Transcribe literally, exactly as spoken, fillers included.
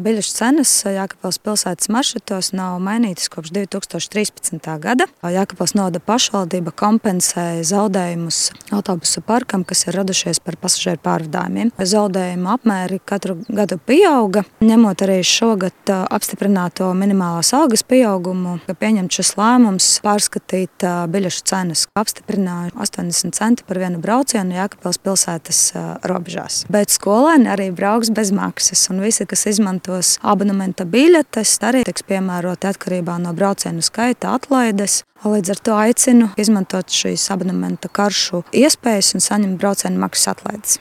biļešu cenas Jēkabpils pilsētas maršrutos nav mainītas kopš divi tūkstoši trīspadsmitā gada. Jēkabpils novada pašvaldība kompensē zaudējumus autobusu parkam, kas ir radušies par pasažieru pārvadājumiem. Zaudējumu apmēri katru gadu pieauga, ņemot arī šogad apstiprināto minimālās algas pieaugumu, ka pieņemt šis lēmums pārskatīt biļešu cenas. Apstiprināja astoņdesmit centi par vienu braucienu Jēkabpils pilsētas robežās. Bet skolēni arī brauks bez maksas, un visi, kas izmantos abonementa biļetes, arī tiks piemēroti atkarībā no braucienu skaita atlaides. Līdz ar to aicinu izmantot šīs abonementa karšu iespējas un saņemt braucienu maksas atlaides.